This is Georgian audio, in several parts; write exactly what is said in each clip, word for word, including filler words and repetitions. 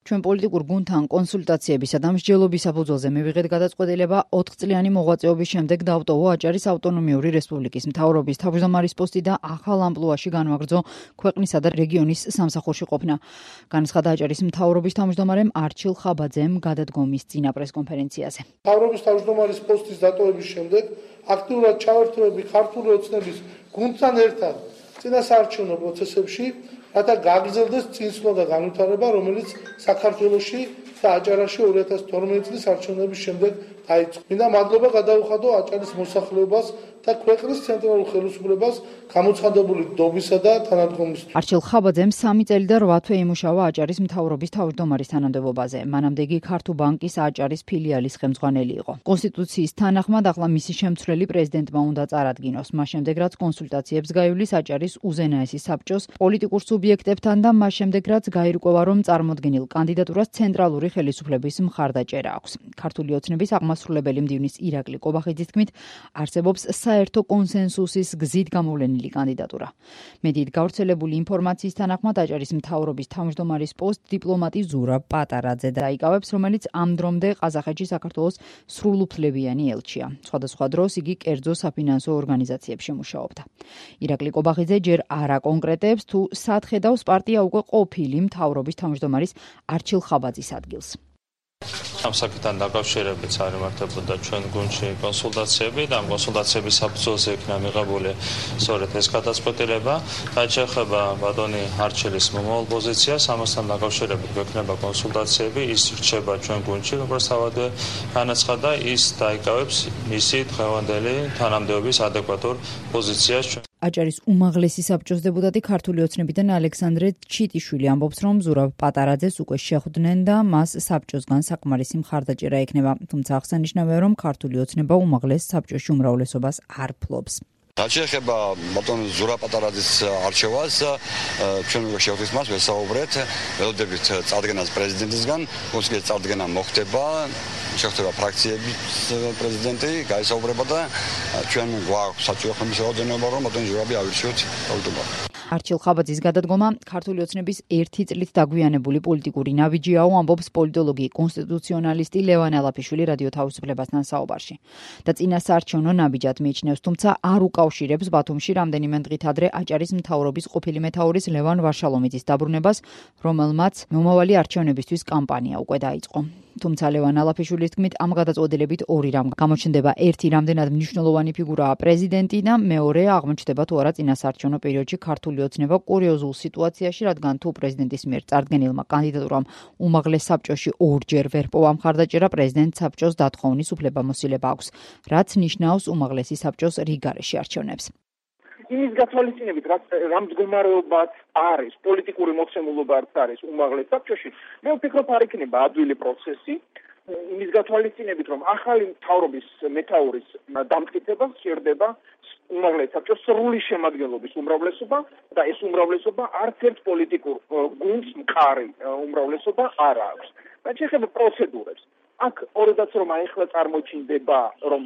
ჩვენ პოლიტიკურ გუნდთან კონსულტაციებისა და მსჯელობის საფუძველზე მივიღეთ გადაწყვეტილება ოთხწლიანი მოღვაწეობის შემდეგ დავტოვო აჭარის ავტონომიური რესპუბლიკის მთავრობის თავმჯდომარის პოსტი და ახალ ამპლუაში განვაგრძო ქვეყნისა და რეგიონის სამსახურში ყოფნა. განაცხადა აჭარის მთავრობის თავმჯდომარემ არჩილ ხაბაძემ გადადგომის წინა პრესკონფერენციაზე. მთავრობის თავმჯდომარის პოსტის დატოვების შემდეგ აქტიურად ჩავერთვები ქართული ოცნების გუნდთან ერთად წინასაარჩევნო პროცესებში, რათა გაგრძელდეს წინსვლა და განვითარება, რომელიც საქართველოში და აჭარაში ორი ათას თორმეტი წლის არჩევნების შემდეგ დაიწყო. მინდა მადლობა გადაუხადო აჭარის მოსახლეობას და ქვეყნის ცენტრალურ ხელისუფლებას გამოცხადებული დობისა და თანადგომისთვის. არჩილ ხაბაძემ სამი წელი და რვა თვე იმუშავა აჭარის მთავრობის თავმჯდომარის თანამდებობაზე. მანამდე იგი ქართულ ბანკის აჭარის ფილიალის ხელმძღვანელი იყო. კონსტიტუციის თანახმად ახლა მისი შემცვლელი პრეზიდენტმა უნდა წარადგინოს. მას შემდეგ რაც კონსულტაციებს გაივლის აჭარის უზენაესი საბჭოს პოლიტიკურ სუბიექტებთან და მას შემდეგ რაც გაირკვევა, რომ წარმოდგენილ კანდიდატურას ცენტრალური ხელისუფლების მხარდაჭერა აქვს. ქართული ოცნების აღმასრულებელი მდივნის ირაკლი კობახიძის თქმით, არსებობს საერთო კონსენსუსის გზით გამოვლენილი კანდიდატურა. მედიით გავრცელებული ინფორმაციის თანახმად აჭარის მთავრობის თავმჯდომარის პოსტ დიპლომატი ზურაბ პატარაძე დაიკავებს, რომელიც ამ დრომდე ყაზახეთში საქართველოს სრულუფლებიანი ელჩია. სხვადასხვა დროს იგი კერძო საფინანსო ორგანიზაციებში მუშაობდა. ირაკლი კობახიძე ჯერ არ აკონკრეტებს, თუ სად ხედავს პარტია უკვე ყოფილი მთავრობის თავმჯდომარის არჩილ ხაბაძის ადგილს. ამ საკითხთან დაკავშირებით წარიმართებოდა ჩვენ გუნდში კონსულტაციები და ამ კონსულტაციების საფუძველზე იქნა მიღებული სწორედ ეს გადაწყვეტილება. რაც შეეხება ბატონი არჩილის მომავალ პოზიციას, ამასთან დაკავშირებით გვექნება კონსულტაციები, ის რჩება ჩვენ გუნდში, როგორც თავადვე განაცხადა, ის დაიკავებს მისი დღევანდელი თანამდებობის ადეკვატურ პოზიციას. აჭარის უმაღლესი საბჭოს დეპუტატი ქართული ოცნებიდან ალექსანდრე ჩიტიშვილი ამბობს, რომ ზურაბ პატარაძეს უკვე შეხვდნენ და მას საბჭოსგან საკმარისი მხარდაჭერა ექნება. თუმცა აღსანიშნავია, რომ ქართული ოცნება უმაღლეს საბჭოში უმრავლესობას არ ფლობს. რაც შეეხება ბატონ ზურაბ პატარაძის არჩევას, ჩვენ შევხვდით მას, ვესაუბრეთ, ველოდებით წარდგენას პრეზიდენტისგან, მოსკოვის წარდგენა მოხდება, შეხვდება ფრაქციების პრეზიდენტი, გაესაუბრება და ჩვენ გვაქვს საჭირო ხმის რაოდენობა, რომ ბატონ ზურაბი ავირჩიოთ თავმჯდომარედ. არჩილ ხაბაძის გადადგომა ქართული ოცნების ერთი წლით დაგვიანებული პოლიტიკური ნაბიჯიაო, ამბობს პოლიტოლოგი კონსტიტუციონალისტი ლევან ალაფიშვილი რადიო თავისუფლებასთან საუბარში. და წინასაარჩევნო ნაბიჯად მიიჩნევს, თუმცა არ უკავშირებს ბათუმში რამდენიმე დღით ადრე აჭარის მთავრობის ყოფილი მეთაურის ლევან ვარშალომიძის დაბრუნებას, რომელმაც მომავალი არჩევნებისთვის კამპანია უკვე დაიწყო. თუმცა ლევან ალაფიშვილის თქმით, ამ გადაწყვეტილებით ორი რამ გამოჩნდება. ერთი, რამდენად მნიშვნელოვანი ფიგურაა პრეზიდენტი და მეორე, აღმოჩნდება თუ არა წინასაარჩევნო პერიოდში ქართული ოცნება კურიოზულ სიტუაციაში, რადგან თუ პრეზიდენტის მიერ წარდგენილმა კანდიდატურამ უმაღლეს საბჭოში ორჯერ ვერ პოვა მხარდაჭერა, პრეზიდენტ საბჭოს დათხოვნის უფლებამოსილება აქვს, რაც ნიშნავს უმაღლესი საბჭოს რიგარეში არჩევნებს. იმის გათვალისწინებით, რა მდგომარეობაც არის, პოლიტიკური მოცემულობაც არის უმაღლეს საბჭოში, მე ვფიქრობ, არ იქნება ადვილი პროცესი, იმის გათვალისწინებით, რომ ახალი მთავრობის მეთაურის დამტკიცებას სჭირდება უმაღლეს საბჭოს სრული შემადგენლობის უმრავლესობა და ეს უმრავლესობა არც ერთ პოლიტიკურ გუნდს მყარი უმრავლესობა არ აქვს. რაც შეეხება პროცედურებს, აქ ორედაც რომ ახლა წარმოჩინდება, რომ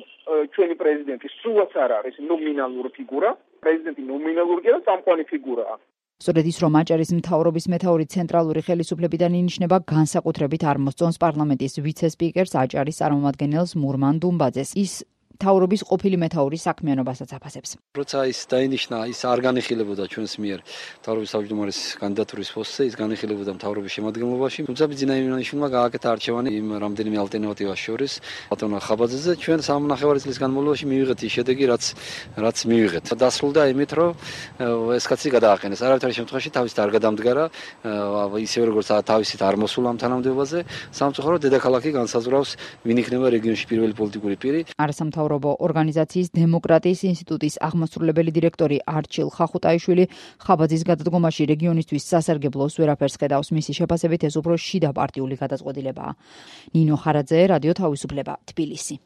ჩვენი პრეზიდენტი სულაც არ არის ნომინალური ფიგურა, პრეზიდენტი ნომინალურია და წამყვანი ფიგურაა. სწორედ ის, რომ აჭარის მთავრობის მეთაური ცენტრალური ხელისუფლებიდან ინიშნება, განსაკუთრებით არ მოსწონს პარლამენტის ვიცე-სპიკერს აჭარის წარმომადგენელს მურმან დუმბაძეს. ის მთავრობის ყოფილი მეთაურის საქმიანობასაც აფასებს. როცა ის დაინიშნა, ის არ განიხილებოდა ჩვენს მიერ მთავრობის თავმჯდომარის კანდიდატურის პოსტზე, ის განიხილებოდა მთავრობის შემადგენლობაში. თუმცა ბიძინაინიშვილმა გააკეთა არჩევანი იმ რამდენიმე ალტერნატივას შორის ბატონ ხაბაძეზე. ჩვენ სამნახევარი წლის განმავლობაში მივიღეთ ის შედეგი, რაც რაც მივიღეთ. დასრულდა იმით, რომ ეს კაცი გადააყენეს. არავითარი შემთხვევაში თავის არ გადამდგარა, ისევე როგორც თავისით არ მოსულა ამ თანამდებობაზე. სამწუხაროდ დედაქალაქი განსაზღვრავს, ვინ იქნება რეგიონში პირველი პოლიტიკური პირი. არასამთავრობო ორგანიზაციის დემოკრატიის ინსტიტუტის აღმასრულებელი დირექტორი არჩილ ხახუტაიშვილი ხაბაძის გადადგომაში რეგიონისთვის სასარგებლოს ვერაფერს ხედავს. მისი შეფასებით ეს უფრო შიდა პარტიული გადაწყვეტილებაა. ნინო ხარაძე, რადიო თავისუფლება, თბილისი.